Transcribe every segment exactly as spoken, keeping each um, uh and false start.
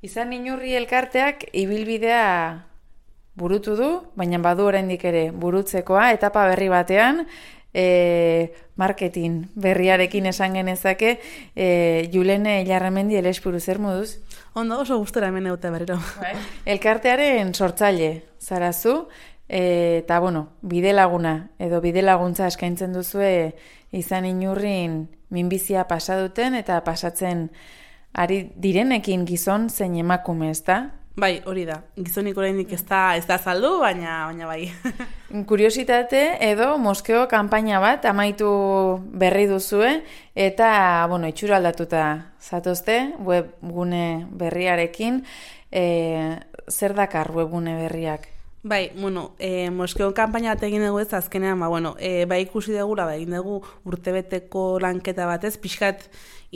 Izan Inurri elkarteak ibilbidea burutu du, baina badu oraindik ere burutzekoa, etapa berri batean, e, marketing berriarekin esan genezake, e, Julene Ilarramendi Elespuru, zer moduz? Ondo, oso gustora hemen eute berriro. Bai. Elkartearen sortzaile zarazu, e, eta bueno, bidelaguna edo bidelaguntza eskaintzen duzue Izan Inurrin minbizia pasa duten eta pasatzen ari direnekin gizon zein emakume, ezta? Bai, hori da. Gizonik oraindik ez da ez da saldu, baina baina bai. Kuriositate edo moskeo kanpaina bat amaitu berri duzue eta bueno, itxura aldatuta zatozte webgune berriarekin. E, zer dakar webgune berriak? Bai, bueno, eh, Moskeo kanpaina bat egin dugu ez azkenean, ba, bueno, eh, bai ikusi dugula, ba, egin dugu urtebeteko lanketa batez, pixkat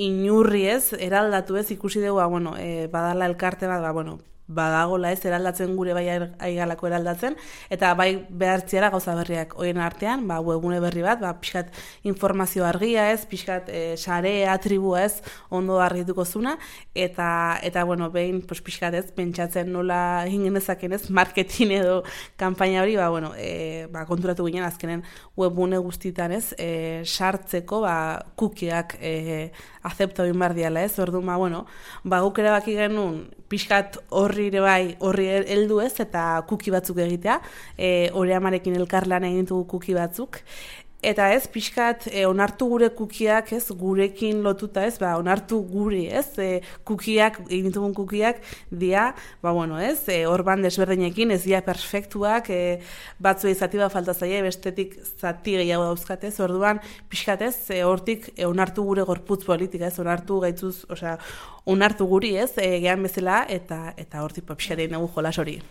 inurri ez, eraldatu ez, ikusi dugu, ba, bueno, eh, badala elkarte bat, ba, bueno, badagola ez, eraldatzen gure bai aigalako eraldatzen, eta bai behartziara gauza berriak hoien artean, ba, webgune berri bat, ba, pixkat informazio argia ez, pixkat e, sare, atribua ez, ondo argituko zuna, eta, eta bueno, behin, pues, pixkat ez, pentsatzen nola egin genezaken ez, marketing edo kanpaina hori, ba, bueno, e, ba, konturatu ginen azkenen webgune guztitan ez, e, sartzeko, ba, kukiak e, azepta egin behar diala ez, orduan, ba, bueno, ba, guk ere baki genuen, pixkat horri ere bai, horri heldu ez, eta kuki batzuk egitea, e, hori amarekin elkarlan egin dugu kuki batzuk, eta ez, pixkat, e, onartu gure kukiak, ez, gurekin lotuta ez, ba, onartu gure, ez, e, kukiak, egin dugun kukiak, dia, ba, bueno, ez, e, orban desberdinekin, ez dia perfektuak, e, batzu izati bat falta zaie, bestetik zati gehiago dauzkatez, orduan, pixkat ez, e, hortik, e, onartu gure gorputz politika, ez, onartu gaitzuz, osea, onartu guri, ez, e, gehan bezala, eta, eta hortik, pixkat egin dugu jolas hori.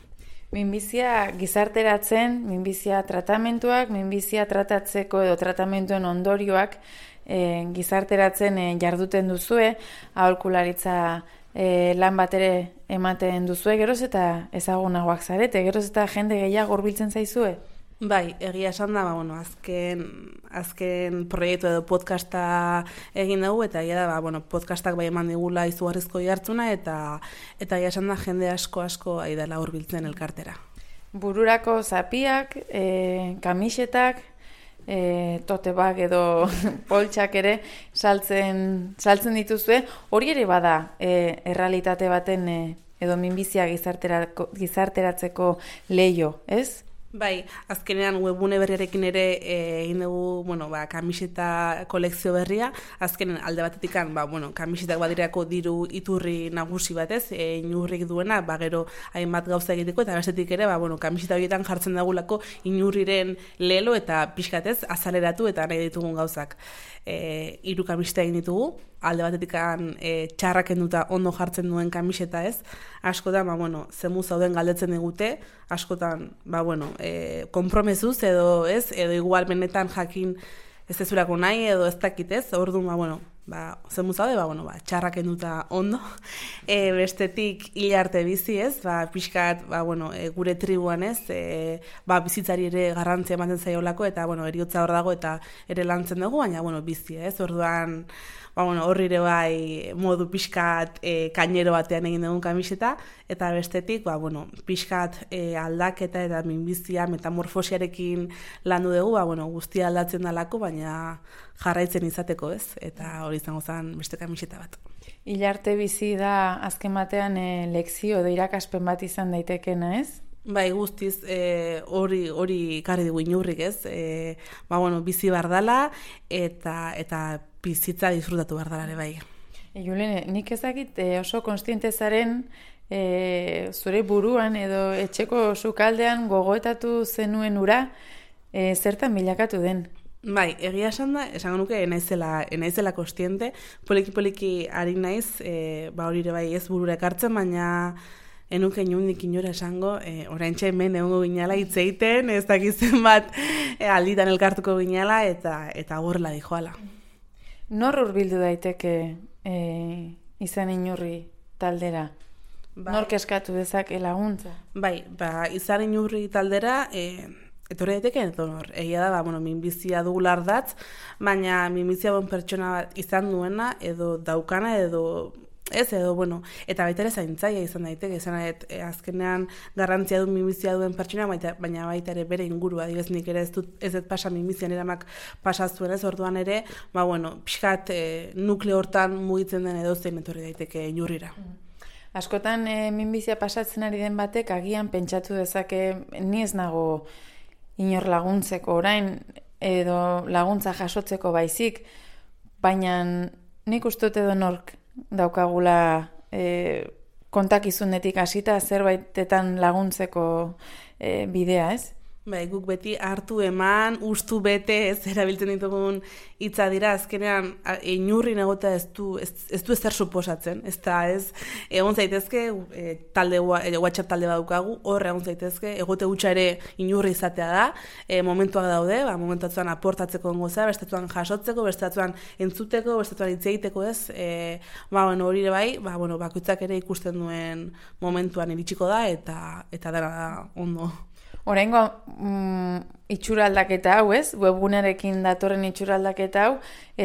Minbizia gizarteratzen, minbizia tratamentuak, minbizia tratatzeko edo tratamenduen ondorioak e, gizarteratzen e, jarduten duzue, aholkularitza e, lan bat ere ematen duzue, geroz eta ezagunagoak zarete, geroz eta jende gehiago hurbiltzen zaizue? Bai, egia esan da, ba, bueno, azken, azken proiektu edo podcasta egin dugu, eta egia da, ba, bueno, podcastak bai eman digula izugarrizko jartzuna, eta eta egia esan da jende asko asko aidala hurbiltzen elkartera. Bururako zapiak, e, kamisetak, e, totebak edo poltsak ere saltzen, saltzen dituzue, hori ere bada e, errealitate baten e, edo minbizia gizarteratzeko leio, ez? Bai, azkenean webgune berriarekin ere egin dugu, bueno, ba, kamiseta kolekzio berria, azkenen alde batetikan, ba, bueno, kamisetak badirako diru iturri nagusi batez, e, inurrik duena, ba, gero hainbat gauza egiteko, eta bestetik ere, ba, bueno, kamiseta horietan jartzen dagulako inurriren lelo eta pixkatez azaleratu eta nahi ditugun gauzak. E, hiru kamiseta egin ditugu, alde batetikan e, txarrak enduta ondo jartzen duen kamiseta ez, askotan, ba, bueno, zemu zauden galdetzen digute, askotan, ba, bueno, e, konpromezuz edo ez, edo igual benetan jakin ez ezurako nahi edo ez dakit ez, orduan, ba, bueno, ba, zemu zaude, ba, bueno, ba, txarrak enduta ondo, e, bestetik hil arte bizi ez, ba, pixkat, ba, bueno, e, gure tribuan ez, e, ba, bizitzari ere garrantzia ematen zaiolako, eta, bueno, eriotza hor dago eta ere lantzen dugu, baina, bueno, bizi ez, orduan, ba, bueno, horri ere bai modu pixkat e, kainero batean egin dugun kamiseta, eta bestetik, ba, bueno, pixkat e, aldaketa eta minbizia, metamorfosiarekin landu dugu, ba, bueno, guztia aldatzen dalako, baina jarraitzen izateko ez, eta hori izango zen beste kamiseta bat. Hilarte bizi da azken batean e, lekzio edo irakaspen bat izan daitekena ez? Bai, guztiz hori e, hori karri dugu inurrik ez, e, ba, bueno, bizi bardala eta, eta bizitza disfrutatu bardalare bai. E, Julene, nik ezakit e, oso konstiente zaren e, zure buruan edo etxeko sukaldean gogoetatu zenuen ura e, zertan bilakatu den? Bai, egia esan da, esango nuke enaizela, enaizela kostiente, poliki-poliki ari naiz, e, ba hori ere bai ez burura ekartzen, baina enuke inundik inora esango, e, oraintxe hemen egongo ginala hitz egiten, ez dakizen bat e, alditan elkartuko ginala, eta eta gorla dijoala. Nor hurbildu daiteke e, Izan Inurri taldera? Bai. Nork eskatu dezake laguntza? Bai, ba, Izan Inurri taldera, e, etorri daiteke edonor. Egia da, ba, bueno, minbizia dugula ardatz, baina minbizia bon pertsona bat izan duena, edo daukana, edo Ez, edo, bueno, eta baita ere zaintzaia izan daiteke, izan e, azkenean garrantzia du minbizia duen pertsona, baita, baina baita ere bere ingurua, adibidez nik ere ez dut ez dut pasa minbizian eramak pasaztuen ez, orduan ere, ba, bueno, pixkat e, nukleo hortan mugitzen den edozein etorri daiteke inurrira. Askotan e, minbizia pasatzen ari den batek agian pentsatu dezake ni ez nago inor laguntzeko orain edo laguntza jasotzeko baizik, baina nik uste dut edo nork daukagula e, kontakizunetik hasita zerbaitetan laguntzeko e, bidea, ez? Bai, guk beti hartu eman, ustu bete, ez erabiltzen ditugun hitza dira, azkenean inurrin egotea ez du ez, ez du ezer suposatzen, ez da, ez, egon zaitezke, e, talde, e, WhatsApp talde badukagu, hor egon zaitezke, egote hutsa ere inurri izatea da, e, momentuak daude, ba, momentuan aportatzeko goza, bestatuan jasotzeko, bestatuan entzuteko, bestatuan hitz egiteko, ez, e, ba, bueno, hori ere bai, ba, bueno, bakoitzak ere ikusten duen momentuan iritsiko da, eta, eta dara da ondo. Oraingo mm, itxura aldaketa hau, ez? Webgunearekin datorren itxura aldaketa hau,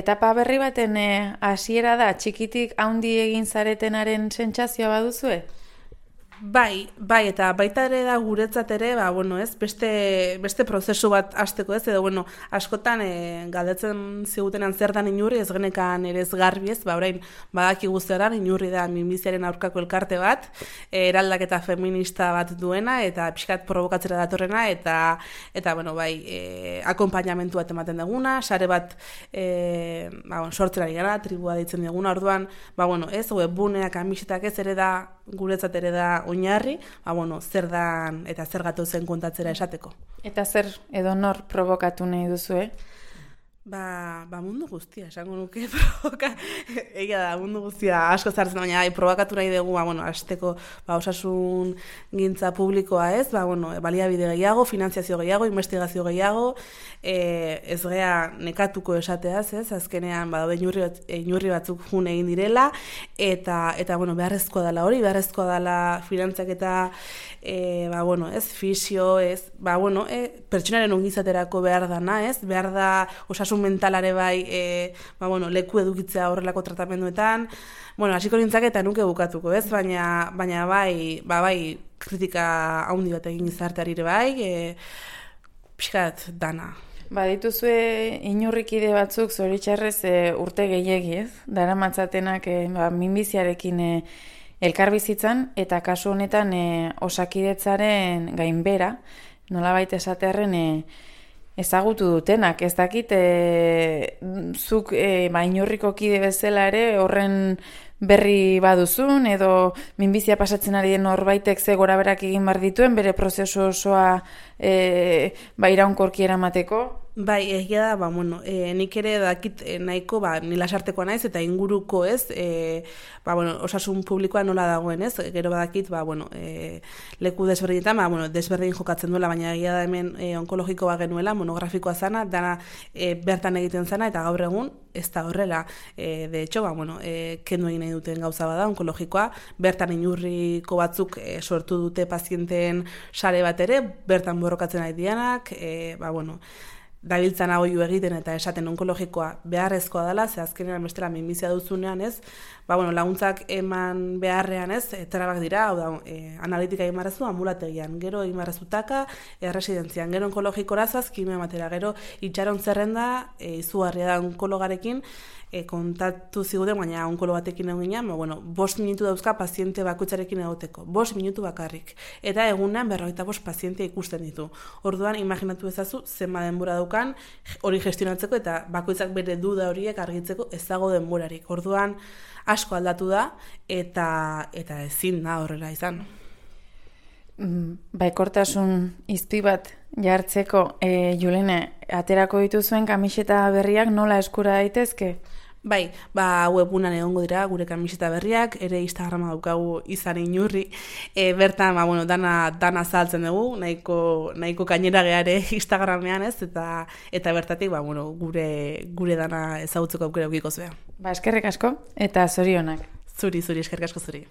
etapa berri baten hasiera da, txikitik haundi egin zaretenaren sentsazioa baduzue? Bai, bai, eta baita ere da guretzat ere, ba, bueno, ez, beste, beste prozesu bat hasteko ez, edo, bueno, askotan e, galdetzen zigutenan zer dan inurri, ez genekan ere ez garbi ez, ba, orain, badakigu zeran, inurri da minbiziaren aurkako elkarte bat, e, eraldaketa feminista bat duena, eta pixkat provokatzera datorrena, eta, eta bueno, bai, e, akompainamentu bat ematen duguna, sare bat, e, ba, bueno, sortzen ari gara, tribua deitzen duguna, orduan, ba, bueno, ez, webbuneak, amisetak ez ere da, guretzat ere da oinarri, ba, bueno, zer dan eta zer gatu zen kontatzera esateko. Eta zer edo nor provokatu nahi duzu, eh? Ba, ba mundu guztia, esango nuke provoka, egia da, mundu guztia asko zartzen, baina bai, provokatu nahi dugu, ba, bueno, azteko, ba, osasun gintza publikoa ez, ba, bueno, baliabide gehiago, finantziazio gehiago, investigazio gehiago, e, ez gea nekatuko esateaz, ez, azkenean, ba, inurri, bat, inurri batzuk jun egin direla, eta, eta, bueno, beharrezkoa dela hori, beharrezkoa dela finantzak eta, e, ba, bueno, ez, fisio, ez, ba, bueno, e, pertsonaren ongizaterako behar dana, ez, behar da, osasun mentalare bai, e, ba, bueno, leku edukitzea horrelako tratamenduetan, bueno, hasiko nintzak eta nuke bukatuko, ez? Baina, baina bai, ba, bai, kritika haundi bat egin gizarteari ere bai, e, pixkat dana. Ba, dituzue inurrikide batzuk zoritxarrez e, urte gehiegi, ez? Dara matzatenak e, ba, minbiziarekin e, elkarbizitzan, eta kasu honetan e, osakidetzaren gainbera, nolabait esatearren e, ezagutu dutenak, ez dakit, e, zuk e, ba, inurriko kide bezala ere horren berri baduzun, edo minbizia pasatzen ari den norbaitek ze gora berak egin bar dituen, bere prozesu osoa e, ba, iraunkorki eramateko? Bai, egia da, ba, bueno, e, nik ere dakit e, nahiko, ba, nila sarteko naiz, eta inguruko ez, e, ba, bueno, osasun publikoa nola dagoen ez, gero badakit, ba, bueno, e, leku desberdinetan, ba, bueno, desberdin jokatzen duela, baina egia da hemen e, onkologikoa genuela, monografikoa zana, dana e, bertan egiten zana, eta gaur egun ez da horrela. E, de hecho, ba, bueno, e, kendu egin nahi duten gauza bada, onkologikoa, bertan inurriko batzuk e, sortu dute pazienteen sare bat ere, bertan borrokatzen ari dianak, e, ba, bueno, dabiltzan agoiu egiten eta esaten onkologikoa beharrezkoa dela, ze azkenean bestela minbizia duzunean ez, ba, bueno, laguntzak eman beharrean ez, trabak dira, hau da, e, analitika egin barrezu, ambulategian, gero egin barrezu taka, erresidentzian, gero onkologikora zoaz, kimio ematera, gero itxaron zerrenda, e, izugarria da onkologarekin, e, kontatu ziguten, baina onkolo batekin egin ginen, ba, bueno, bost minutu dauzka paziente bakoitzarekin egoteko, bost minutu bakarrik, eta egunean berrogeita bost pazientea ikusten ditu. Orduan, imaginatu ezazu, zenba denbora daukan, hori gestionatzeko, eta bakoitzak bere duda horiek argitzeko ez dago denborarik. Orduan, asko aldatu da, eta, eta ezin da horrela izan. Baikortasun izpi bat jartzeko, e, Julene, aterako dituzuen kamiseta berriak nola eskura daitezke? Bai, ba, webunan egongo dira gure kamiseta berriak, ere Instagrama daukagu izan inurri, e, bertan, ba, bueno, dana, dana zaltzen dugu, nahiko, nahiko kainera geare Instagramean ez, eta, eta bertatik, ba, bueno, gure, gure dana ezagutzeko aukera ukiko zuen. Ba, eskerrik asko, eta zorionak. Zuri, zuri, eskerrik asko zuri.